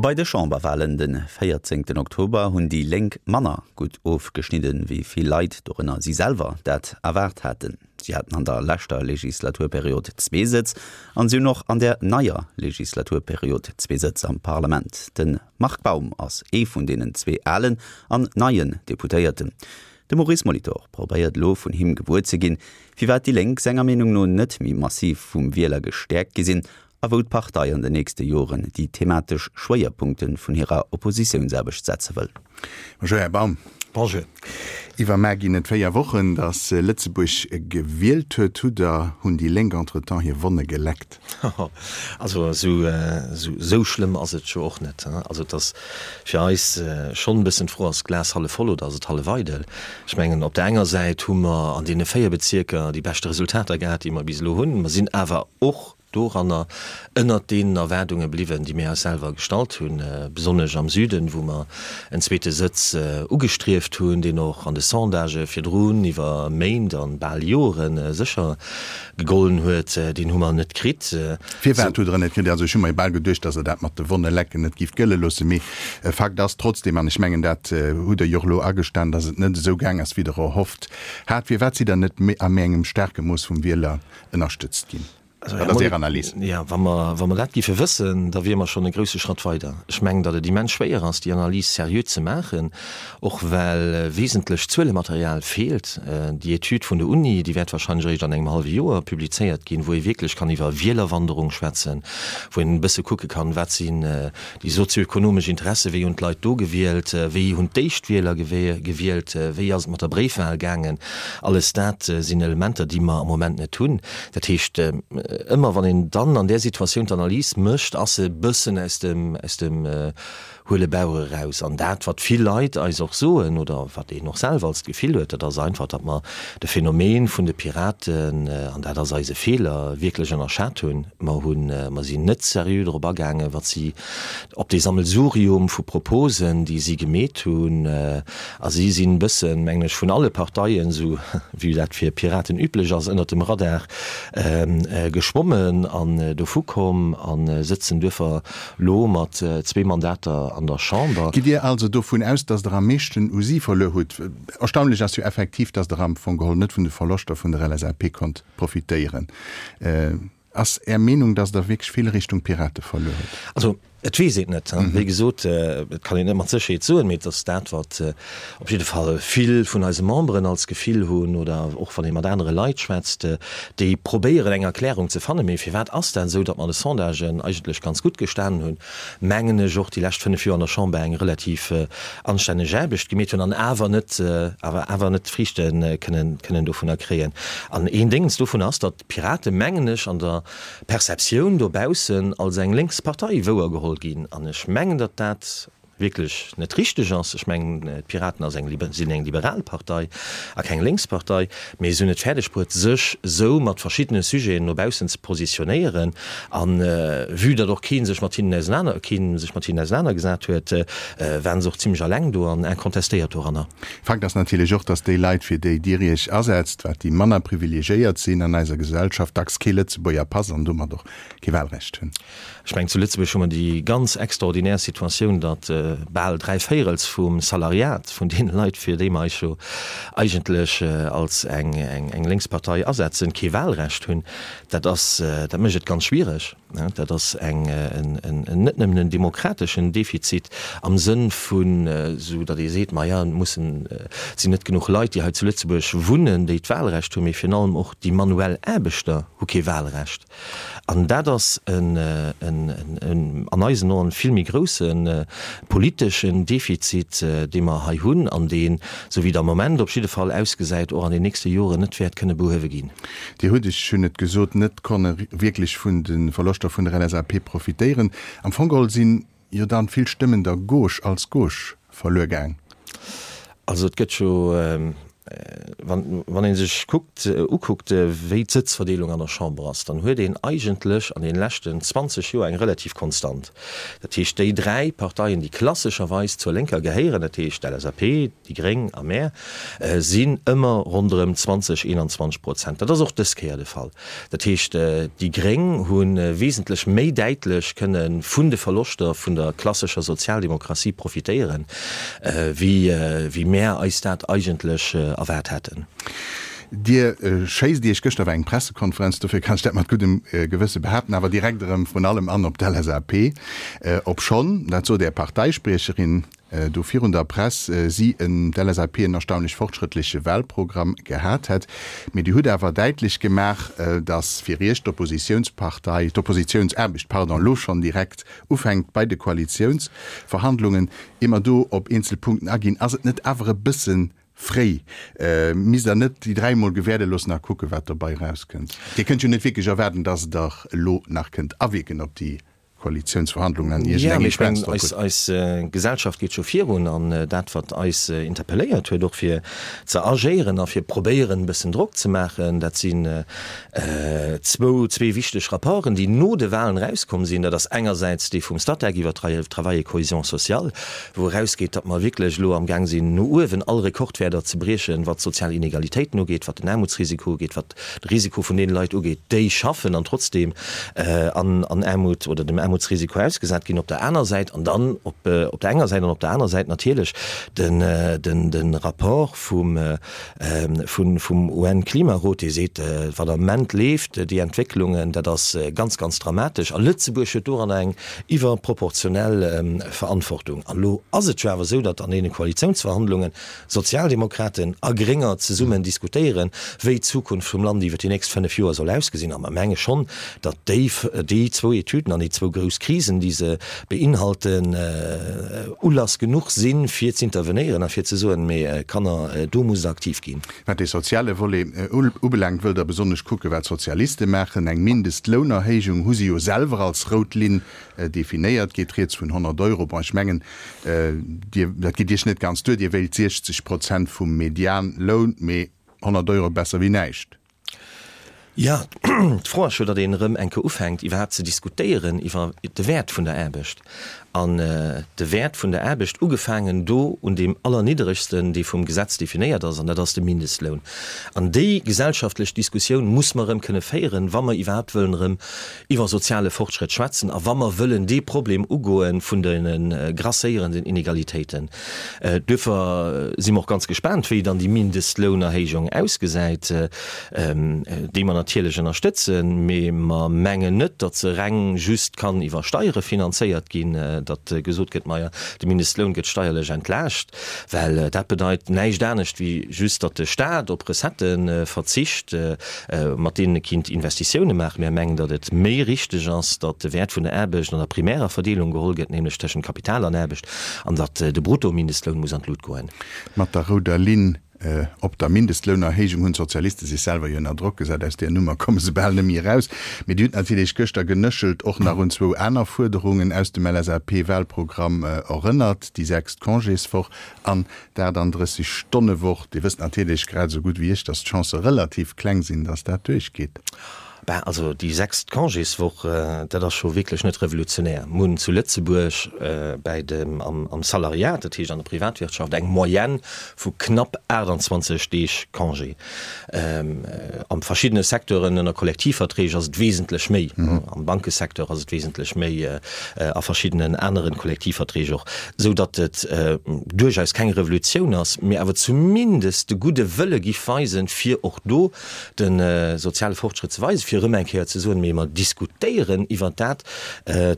Bei de Chamberwalen de 14 Oktober hunn déi Lénk manner gutt ofgeschnidden, wéi vill Leit, dorënner si selwer, dat erwaart haten. Si haten an der leschter Legislaturperiod zwee Sëtz an si hunn och an der neier Legislaturperiod zwee Sëtz am Parlament. De Marc Baum ass ee vun deenen zwee alen an neien Deputéierten. De Maurice Molitor probéiert elo vun him gewuer ze ginn, firwat déi Lénk senger Meenung no net méi massiv vum Wieler gestäerkt gi sinn a wou d'Partei an den nächste Joren déi thematesch Schwéierpunkte vun hirer Oppositiounsaarbecht setze wëll. Bonjour Här Baum. Bonjour. Iwwermaar ginn et 4 Wochen, datt Lëtzebuerg gewielt huet. Hutt der, hunn déi Lénk entretemps hir Wonne geleckt? Also esou schlëmm ass et jo och net. Also et ass fir eis schonn e bëssen d'Fro, ass d'Glas hallef voll oder ass et hallef eidel? Ech mengen, op der enger Säit hu mer an deene 4 Bezierker déi beschte Resultater gehat, déi mer bis elo hunn. Mer sinn awer och doranner ënnert deenen Erwaardunge bliwwen, déi mir eis selwer gestallt hunn, besonnesch am Süden, wou mer en zweete Sëtz ugestrieft hunn, deen och an de Sondagë virdrun iwwer Méint an bal Jore sécher gegollen huet, deen hu mer net kritt. Firwat hutt Der en net kritt? Also ech hu mer jo bal geduecht, datt Der dat mat de Wonne lecken net gift gëlle loossen. Mee Fakt ass trotzdem, an ech mengen dat hutt Der jo och elo agestan, datt et net esou gaang ass, wéi Der erhofft hat. Firwat sidd Der net a méi engem staarke Mooss vum Wieler ënnerstëtzt ginn? Wat ass Är Analys? Jo, wa mer, wa mer dat géife wëssen, da wiere mer schonn e grousse Schratt weider. Ech mengen, datt et immens schwéier ass, déi Analys seriö ze maachen, och well wesentlech Zuelematerial feelt. Déi Etüd vun der Uni, déi wäert wahrscheinlech eréischt an engem hallwe Joer publizéiert ginn, wou ee wierklech kann iwwer Wielerwanderung schwätzen, wou een e bësse kucke kann, wat sinn Déi sozioekonomesch Interesse, wéi hunn d'Leit do gewielt, wéi hunn d'Éischtwieler gewielt, wéi ass et mat der Bréifwahl gaangen, alles dat sinn Elementer, déi mer am Moment net hunn. Dat heescht, ëmmer wann een dann an där Situatioun d'Analys mécht, ass se e bëssen aus dem, aus dem huele Bauch eraus. An dat, wat vill Leit eis och soen oder wat een och selwer als d'Gefill huet, dat ass einfach, datt mer de Phänomen vun de Piraten, an dat ass eise Feeler, wierklech ënnerschat hunn. Mer hunn, mer sinn net seriö drop agaangen, wat si op dee Sammelsurium vu Proposen, déi si gemeet hunn, a si sinn e bëssen, mengen ech, vun alle Parteien, esou wéi dat fir Piraten üblech ass, ënnert dem Radar geschwommen an dovu komm a sëtzen duerfir lo mat zwee Mandater an der Chamber. Gitt Dir also dovun aus, datt Der am meeschten u si verluer hutt? Erstaunlech ass jo effektiv, datt Der am Fong geholl net vun de Verloschter vun der LSAP konnt profitéieren. Ass Är Meenung, datt Der wierklech vill Richtung Pirate verluer hutt? Also, et weess een et net. Wéi gesot, et kann een net mat Sécherheet soen, mee et ass dat, wat op jidde Fall vill vun eise Memberen als Gefill hunn oder och wann ee mat anere Leit schwätzt, déi probéieren eng Erklärung ze fannen. Mee firwat ass dat esou, datt mer an de Sondagen eigentlech ganz gutt gestanen hunn, mengen ech, och déi lescht 5 Joer an der Chamber eng relativ anstänneg Aarbecht gemeet hunn an awer net, awer awer net d'Friichte kënnen, kënnen dovunner kréien. An een Déngens dovun ass, datt d'Piraten, mengen ech, an der Perceptioun dobaussen als eng lénks Partei wouergeholl ginn. An ech mengen, datt dat wierklech net richteg ass. Ech mengen, d'Piraten ass eng, sinn eng liberal Partei a keng lénks Partei, mee se hunn et fäerdeg bruet, sech esou mat verschiddene Sujeten no baussen ze positionéieren. A vue datt och kee sech mat hinnen ausenaner, kee sech mat hinnen ausenanergesat huet, waren se och zimlech alleng do an incontestéiert doranner. Fakt ass natierlech och, datt déi Leit, fir déi Dir Iech asetzt, wat déi manner privilegiéiert sinn an eiser Gesellschaft, dacks kee Lëtzebuerger Pass an domat och kee Wahlrecht hunn. Ech mengen, zu Lëtzebuerg hu mer déi ganz extraordinär Situatioun, datt bal dräivéierels vum Salariat vun deene Leit, fir déi mer eis jo eigentlech als eng lénks Partei asetzen, kee Wahlrecht hunn. Dat ass, dat mécht et ganz schwiereg. Dat ass eng, en, net nëmmen en demokrateschen Defizit am Sënn vun, esou datt ee seet, maja, et mussen, et sinn net genuch Leit, déi hei zu Lëtzebuerg wunnen, déi d'Wahlrecht hunn, mee virun allem och déi manuell Aarbechter hu kee Wahlrecht. An dat ass en, an eisen Oen, vill méi grousse politeschen Defizit, dee mer hei hunn an deen, esou wéi et am Moment op jidde Fall ausgesäit, och an den nächste Joren net wäert kënne behuewe ginn. Dir hutt, ech hunn et gesot, net konne wierklech vun de Verloschter vun der LSAP profitéieren. Am Fong geholl sinn jo dann vill Stëmmen der Gauche als Gauche verluer gaang. Also et gëtt jo. Wann, wann ee sech kuckt, ukuckt, wéi d'Sëtzverdeelung an der Chamber ass, dann huet een eigentlech an deene leschten 20 Joer eng relativ konstant. Dat heescht, déi dräi Parteien, déi klassescherweis zur Lénker gehéieren, dat heescht d'LSAP, déi Gréng a mär, sinn ëmmer ronderëm 20, 21 Prozent. Dat ass och dës Kéier de Fall. Dat heescht, déi Gréng hu wesentlech méi däitlech kënne vun de Verloschter vun der klassescher Sozialdemokratie profitéieren, wéi mär eis dat eigentlech erwaart haten. Dir schéisst Iech, gëschter war eng Pressekonferenz, dofir kann ech dat mat guddem Gewësse behaapten, awer direkt erëm vrun allem an op d'LSAP, obschonn, dat sot Är Parteispriecherin do virun der Press, si en, d'LSAP, en erstaunlech fortschrëttleche Wahlprogramm gehat hätt. Mee Dir hutt awer däitlech gemaach, datt fir Iech d'Oppositiounspartei, d'Oppositiounsaarbecht, pardon, elo schonn direkt ufänkt bei de Koalitiounsverhandlungen. Ier mer do op eenzel Punkten aginn, ass et net awer e bësse fréi? Misst Der net déi 3 emol gewäerde loossen a kucken, wat dobei erauskënnt? Dir kënnt jo net wierklech erwaarden, datt Der elo nach kënnt awierken op déi Koalitiounsverhandlungen an iergendeng Influenz drop hutt. Eis Gesellschaft geet scho virun an dat, wat eis interpelléiert huet, och fir ze agéieren a fir probéieren, e bëssen Drock ze maachen, dat sinn zwou, zwee wichteg Rapporten, déi no de Wahlen erauskomm sinn. Dat ass engersäits dee vum Statec iwwer Travail et cohésion sociale, wou erausgeet, datt mer wierklech elo amgaang sinn, no uewen all Rekordwäerter ze briechen, wat d'sozial Inegalitéiten ugeet, wat den Aarmutsrisiko ugeet, wat de Risiko vun deene Leit ugeet, déi schaffen an trotzdeem an Aarmut oder dem Aarmutsrisiko ausgesat ginn op der aner Säit an dann op der enger Säit an op der aner Säit natierlech de Rapport vum UN-Klimarot, dee seet, wat am Ament leeft, déi Entwécklungen, dat ass ganz, ganz dramatesch a Lëtzebuerg huet doranner eng iwwerproportionell Verantwortung. An elo ass et jo awer esou, datt an deene Koalitiounsverhandlungen Sozialdemokraten a Grénger zesummen diskutéieren, wéi d'Zukunft vum Land iwwer déi nächst 5 Joer soll ausgesinn. A mer menge schonn, datt déi, déi zwou Etüden an déi zwou grouss Krisen, déi se beinhalten, Ulass genuch sinn, fir z'intervenéieren a fir ze soen, Mee Kanner, do musst Der aktiv ginn. Wat dee soziale Volet ubelaangt, wëllt Der besonnesch kucken, wat d'Sozialiste maachen. Eng Mindestlounerhéijung hu si jo selwer als rout Linn definéiert, geet rieds vun 100 Euro. Bon, ech mengen, Dir, dat geet Iech net ganz duer, Dir wéilt 60 Prozent vum Medianloun, mee 100 Euro besser wéi näischt. Jo, d'Fro ass jo, datt een erëm eng Kéier ufänkt iwwerhaapt ze diskutéieren iwwer de Wäert vun der Aarbecht. An de Wäert vun der Aarbecht, ugefaangen do un deem allernidderegsten, dee vum Gesetz definéiert ass, an dat ass de Mindestloun. An déi gesellschaftlech Diskussioun muss mer erëm kënne féieren, wa mer iwwerhaapt wëllen erëm iwwer soziale Fortschrëtt schwätzen a wa mer wëllen dee Problem ugoe vun de grasséierenden Inegalitéiten. Duerfir si mer och ganz gespaant, wéi dann déi Mindestlounerhéijung ausgesäit, déi mer natierlech ënnerstëtzen, mee mer mengen net, datt se reng just kann iwwer Steiere finanzéiert ginn, datt gesot gëtt, maja, de Mindestloun gëtt steierlech entlaascht, well dat bedeit näischt anescht wéi just, datt de Stat op Recettë verzicht, mat deenen e kinnt Investitioune maachen. Mär mengen, datt et méi richteg ass, datt de Wäert vun der Aarbecht an der primärer Verdeelung geholl gëtt, nämlech tëschent Kapital an Aarbecht, an datt de Bruttomindestloun muss an d'Lut goen. Mat der rouder Linn op der Mindestlounerhéijung hunn d'Sozialiste sech selwer jo ënner Drock gesat. Aus där Nummer komme se bal net méi eraus. Mee Dir hutt natierlech gëschter genëschelt och nach un zwou aner Fuerderungen aus dem LSAP-Wahlprogramm erënnert, déi sechst Congéswoch an D'38 Stonne Woch, Dir wësst natierlech grad esou gutt wéi ech, dass d'Chancë relativ kleng sinn, dass dat duerchgeet. Ben, also déi sechst Congéswoch, dat ass scho wierklech net revolutionär. Mir hunn zu Lëtzebuerg bäi dem, am Salariat, dat heescht an der Privatwirtschaft, eng Moyenne vu knapp 28 Deeg Congé. A verschiddene Secteuren ënner Kollektivverträg ass et wesentlech méi, am Bankesecteur ass et wesentlech méi, a verschiddenen anere Kollektivverträg och, esou datt et duerchaus keng Revolutioun ass, mee awer zumindest de gudde Wëlle giff weisen, fir och do de soziale Fortschrëtt ze weisen, fir erëm eng Kéier ze soen, mee mer diskutéieren iwwert dat,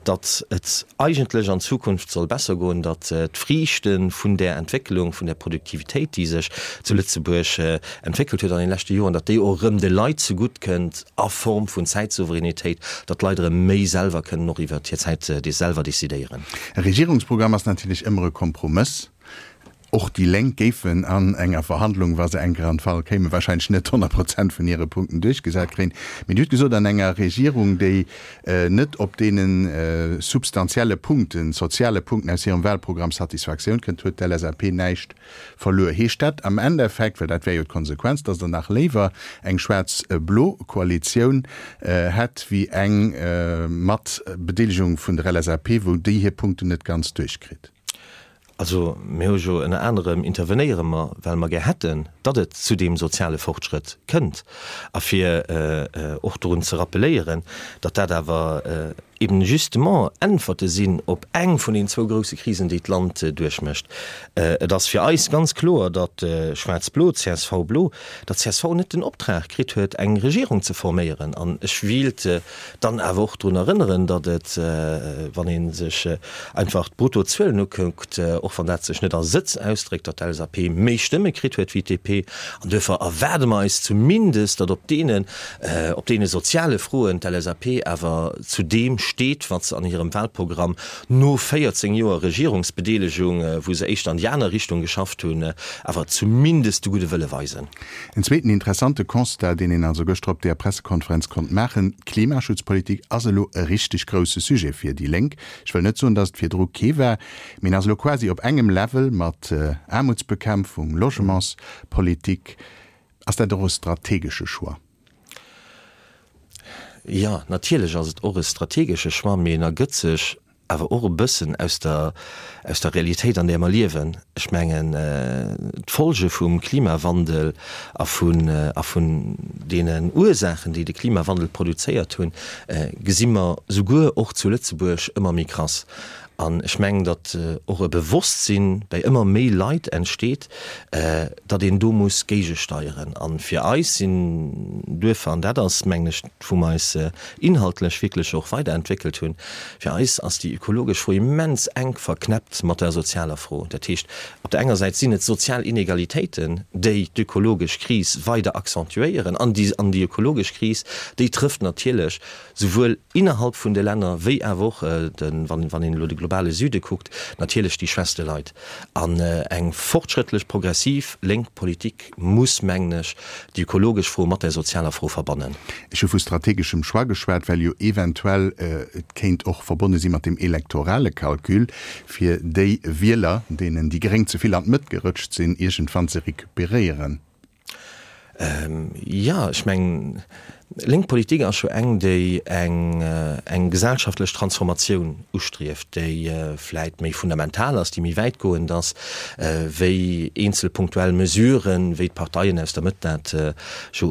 datt et eigentlech an Zukunft soll besser goen, datt d'Friichte vun där Entwécklung, vun där Produktivitéit, déi sech zu Lëtzebuerg entwéckelt huet an den leschte Joren, datt déi och erëm de Leit zegutt kënnt a Form vun Zäitsouveränitéit, datt d'Leit erëm méi selwer kënnen och iwwert hir Zäit selwer decidéieren. E Regierungsprogramm ass natierlech ëmmer e Kompromëss. Och déi Lénk géifen an enger Verhandlung, wa se eng Kéier an d'Fall kéimen, wahrscheinlech net 100 Prozent vun hire Punkten duerchgesat kréien. Mee Dir hutt gesot, an enger Regierung, déi net op deene substantielle Punkten, soziale Punkten aus hirem Wahlprogramm Satisfaktioun kënnt, huet d'LSAP näischt verluer. Heescht dat am Endeffekt, well dat wär jo d'Konsequenz, datt Der nach léiwer eng schwaarz-blo Koalitioun hätt wéi eng mat Bedeelegung vun der LSAP, wou déi hir Punkten net ganz duerchkritt? Also mir hu jo ënner anerem, intervenéiere mer, well mer gär hätten, datt et zu deem soziale Fortschrëtt kënnt. A fir och dorun ze rappeléieren, datt dat awer eben justement Äntwerte sinn op eng vun den zwou grouse Krisen, déi d'Land duerchmécht. Et ass fir eis ganz kloer, datt Schwaarz-Blo, CSV-Blo, datt csv net den Optrag kritt huet, eng Regierung ze forméieren. An ech wíilt Dann awer och drun erënneren, datt et, wann ee sech einfach d'Bruttozuelen ukuckt, och wann dat sech net a Sëtz ausdréckt, datt d'LSAP méi Stëmme kritt huet wéi d'DP. An duerfir erwaarde mer eis zumindest, datt op deenen, op deene soziale Froen d'LSAP awer zu deem steet, wat se an hirem Wahlprogramm no 14 Joer Regierungsbedeelegung, wou se éischter an déi aner Richtung geschafft hunn, awer zumindest de gudde Wëlle weisen. En zweeten interessante Constat, deen een also gëschter op deeër Pressekonferenz konnt maachen, D'Klimaschutzpolitik ass elo e richteg grousse Sujet fir déi Lénk. Ech wëll net soen, datt et virdru kee war, mee en ass elo quasi op engem Level mat Aarmutsbekämpfung, Logementspolitik. Ass dat och e strategesche Choix? Jo, natierlech ass et och e strategesche Choix, mee en ergëtt sech awer och e bëssen aus der, aus der Realitéit, an där mer liewen. Ech mengen, d'Folge vum Klimawandel a vun, a vun deenen Ursaachen, déi de Klimawandel produzéiert hunn, gesi mer souguer och zu Lëtzebuerg ëmmer méi krass. An ech mengen, datt och e Bewosstsinn bei ëmmer méi Leit entsteet, datt een do muss géigesteieren. A fir eis sinn duerfir, an dat ass, mengen ech, wou mer eis inhaltlech wierklech och weiderentwéckelt hunn, fir eis ass déi ökologesch Fro immens enk verknäppt mat der sozialer Fro. Dat heescht, op der enger Säit sinn et sozial Inegalitéiten, déi d'ökologesch Kris weider accentuéieren, an déi, an déi ökologesch Kris, déi trëfft natierlech souwuel innerhalb vun de Länner wéi awer och, wann een elo de globale Süde kuckt, natierlech déi schwächste Leit. An eng fortschrëttlech, progressiv lénk Politik muss, mengen ech, déi ökologesch Fro mat der sozialer Fro verbannen. Ech hu vu strategeschem Choix geschwat, well jo eventuell et kéint och verbonne si mat dem elektorale Calcul, fir déi Wieler, deenen déi Gréng ze vill an d'Mëtt gerëtscht sinn, iergendwann ze recuperéieren. Jo, ech mengen, lénk Politik ass jo eng, déi eng eng gesellschaftlech Transformatioun ustrieft, déi vläit méi fundamental ass, déi méi wäitgoend ass wéi eenzel punktuell Mesuren, wéi d'Parteien aus der Mëtt dat jo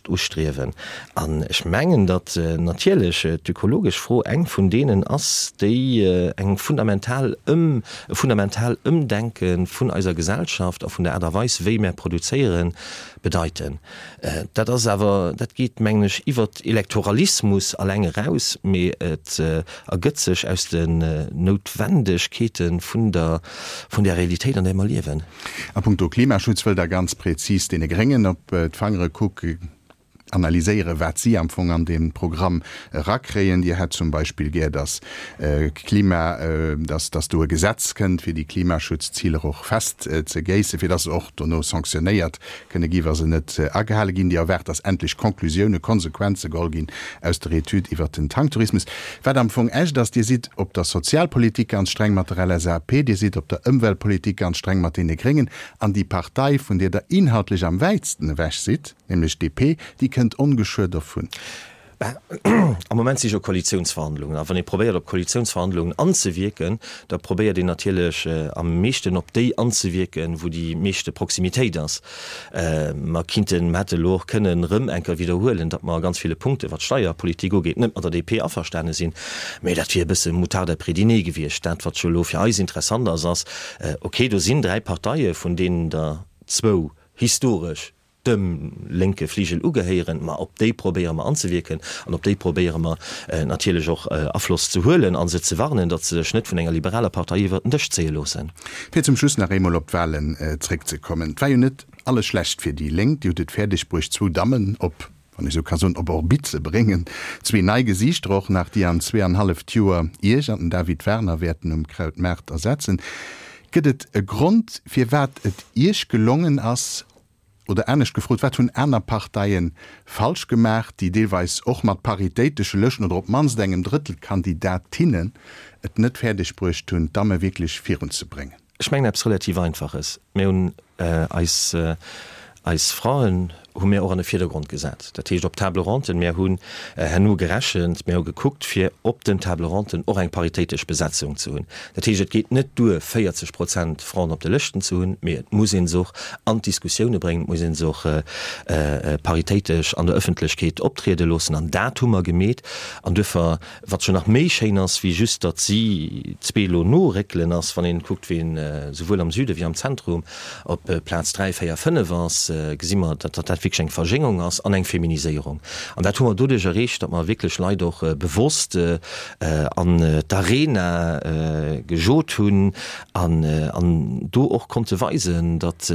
ustriewen. An ech mengen, datt natierlech d'ökologesch Fro eng vun deenen ass, déi eng fundamental Ëm E fundamental Ëmdenke vun eiser Gesellschaft a vun der Aart a Weis, wéi mär produzéieren, bedeiten. Dat ass awer, dat geet, mengen ech, iwwert Elektoralismus alleng eraus, mee et ergëtt sech aus den Noutwendegkeete vun der, vun der Realitéit, an där mer liewen. A punkto Klimaschutz wëllt Der ganz prezis deene Gréngen op d'Fangere kucken. Analyséieren, wat si am Fong an dee Programm erakréien. Dir hätt zum Beispill gär, dass Klima, dass, dass do e Gesetz kënnt, fir déi Klimaschutzziler och festzegéissen, fir dass se och dono sanctionéiert kënne gi wa se net agehale ginn. Dir erwaart, dass endlech Conclusiounen, Konsequenze geholl ginn aus der Etüd iwwert den Tanktourismus. Wat am Fong echt ass, Dir sidd op der Sozialpolitik ganz streng mat der LSAP, Dir sidd op der Ëmweltpolitik ganz streng mat deene Gréngen an déi Partei, vun där Der inhaltlech am wäitsten ewech sidd, Nämlech d'DP, déi kënnt ongeschuer dervun. Ben, am Moment si jo Koalitiounsverhandlungen. A wann ee probéiert, op Koalitiounsverhandlungen anzewierken, da probéiert een natierlech am meeschten op déi anzewierken, wou déi meeschte Proximitéit ass. Mer kinnten, mer hätte elo och kënnen erëm eng Kéier widderhuelen, datt mer a ganz ville Punkten, wat d'Steierpolitik ugeet, net mat der DP averstane sinn. Mä dat wier e bësse Moutarde après dîner gewiescht. Dat, wat jo elo fir eis interessant ass, ass, okay, do sinn dräi Parteie, vun deenen der zwou historesch dem lénke Fligel ugehéieren, ma op déi probéiere mer anzewierken an op déi probéiere mer natierlech och Afloss ze huelen a se ze warnen, datt se sech net vun enger liberaler Partei iwwert den Dësch zéie loossen. Fir zum Schluss nach eemol op d'Wahlen zréckzekommen, Et war jo net alles schlecht fir déi Lénk. Dir hutt et fäerdeg bruecht, zwou Dammen op, wann ech esou ka soen, op Orbit ze bréngen. Zwee nei Gesiichter och nach, déi an zweeanhalleft Joer Iech an den David Werner wäerten um Krautmaart ersetzen. Gëtt et e Grond, firwat et Iech gelongen ass, oder anescht gefrot, wat hunn aner Parteie falsch gemaach, déi deelweis och mat paritéitesche Lëschten oder op d'mannst engem Drëttel Kandidatinnen et net fäerdeg bruecht hunn, d'Damme wierklech virunzebréngen? Ech mengen eppes relativ Einfaches. Mir hunn eis, eis Fraen hu mir och an de Virdergrond gesat, dat heescht op Table ronden. Mir hunn herno gerechent, mir hu gekuckt, fir op den Table ronden och eng paritéitesch Besetzung ze hunn. Dat heescht, et geet net duer, 40 Prozent Fraen op de Lëschten ze hunn, mee et muss ee se och an d'Diskussioune bréngen, et muss ee se och paritéitesch an der Ëffentlechkeet optriede loossen. An dat hu mer gemeet. An duerfir Wat jo nach méi schéin ass, wéi just datt si zwee elo noréckelen, ass, wann een kuckt, ween souwuel am Süde wéi am Zentrum op Plaz 3, 4, 5 ass, gesi mer, datt dat wierklech eng Verjéngung ass an eng Feminiséierung. An dat hu mer doduerch erreecht, datt mer wierklech Leit och bewosst an d'Arena gejot hunn an do och konnte weisen, datt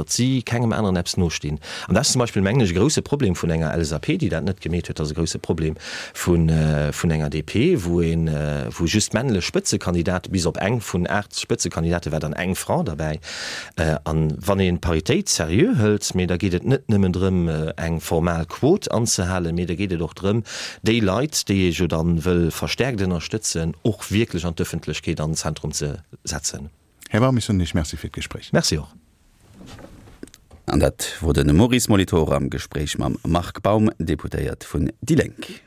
si kengem aneren eppes nostinn. An dat ass zum Beispill, mengen ech, e grouse Problem vun enger LSAP, déi dat net gemeet huet. Dat ass e grouse Problem vun enger DP, wou een, wou just männlech Spëtzekandidate, bis op eng vun 8 Spëtzekandidate war dann eng Fra derbäi. An wann een d'Paritéit seriö hëlt, mee da geet et net nëmmen drëm, eng formal Quot anzehalen, mee da geet et och drëm, déi Leit, déi ee jo dann wëll verstärkt ënnerstëtzen, och wierklech an d'Ëffentlechkeet an den Zentrum ze setzen. Här Baum, ech soen Iech Merci fir d'Gespréich. Merci och. An dat wor de Maurice Molitor am Gespréich mam Marc Baum, Deputéiert vun déi Lénk.